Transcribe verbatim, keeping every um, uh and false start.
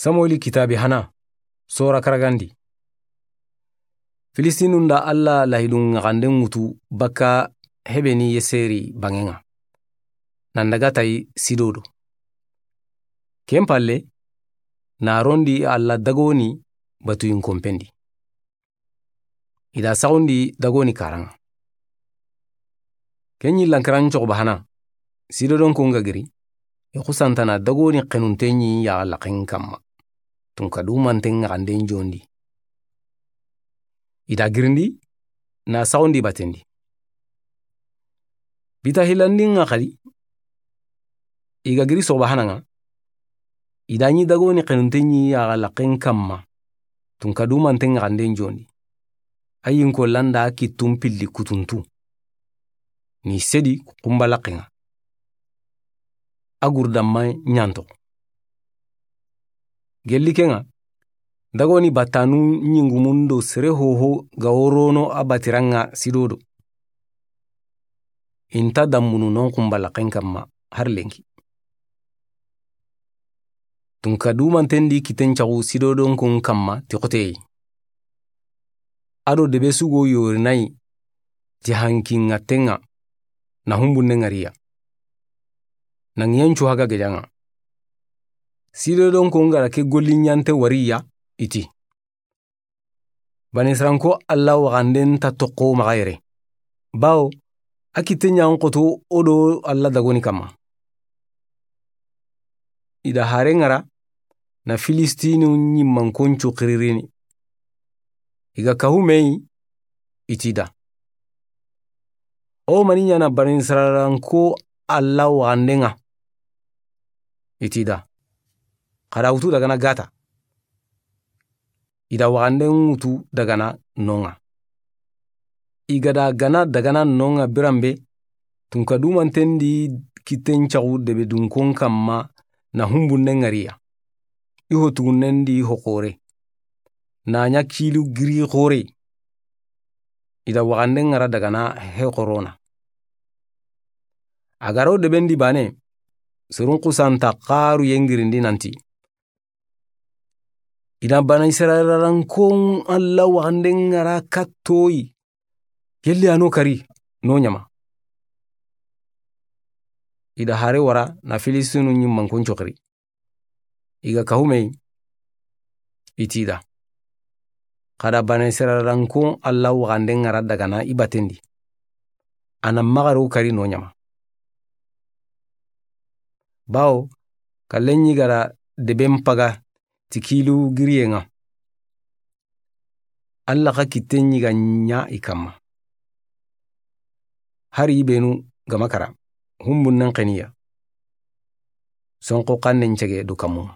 Samueli kitaabe hana, sora karagandi. Filistinun da Alla lahidun ŋaxanden ŋutu bakka Hebeni Yeseri banŋen ŋa, nan daga tayi Sido do. Ken palle, na rondi Alla dagoni batuyin konpen di. I da saxundi dagoni karan ŋa. Ken ɲi lankaran coxoba hana, Sidodonkon ga giri, i xusantana dagoni xenunte ɲi yaxa laxen kanma, tunka dumanten ŋaxanden jondi. I da girindi, na saxundi batendi. Bita hilandin ŋa xadi, i ga giri soxoba hana ŋa, i da ɲi dagoni xenunte ɲi yaxa laxen kanma, tunka dumanten ŋaxanden jondi. A yinko landa kittun pilli kutuntu. Ni sedi xunba laxen ŋa. A gurdanma ɲanto. Gelli ken ŋa, dagoni battanu ɲingumun do sere hoho ga worono a batiran ŋa Sidodo. I nta dambunu non xunba laxen kanma har lenki. Tunka dumanten di kitten caxu Sidodonkon kanma ti xoteye. A do debe sugo yorinayi ti hankinŋatten ŋa na humbunnen ŋa riya. Na ŋiyen cu haga gejan ŋa. Sidodonkon ga da ke golli ɲante wariya, i ti: Banisranko Alla waxanden ta toxo maxa yere. Bawo, a kitte ɲan xoto o do Alla dagoni kanma. I da hare ŋara na Filistinu ɲimmankon cu xiririni. I ga kahu meyi, i ti da: O mani ɲana Banisrayilanko Alla waxanden ŋa? I ti da: Xa da wutu dagana Gata. I da waxanden wutu dagana non ŋa. I ga da gana dagana non ŋa biranbe, tunka dumanten di kitten caxu debe dunkon kanma na humbunnen ŋa riya. I ho tugunnen di ho xore. Na ɲa kilu giri xore. I da waxanden ŋara dagana he xorona. A ga ro deben di bane, sorun xusanta xaru yengirindi nanti: I da Banisrayilankon Alla waxanden ŋara kattoyi. Gelli a no kari, no ɲama. I da hare wara na Filistinu ɲimmankon coxiri. I ga kahu meyi, i ti da: Xa da Banisrayilankon Alla waxanden ŋara dagana i batendi, a na maxa ro kari no ɲama. Bawo, kallen ɲi ga da deben paga ti kilu giriyen ŋa. Alla xa kitten ɲi ga ɲa i kanma. Hari i benu ga ma kara, humbunnen xeniya. Sonxo xannen cege do kanmun ŋa.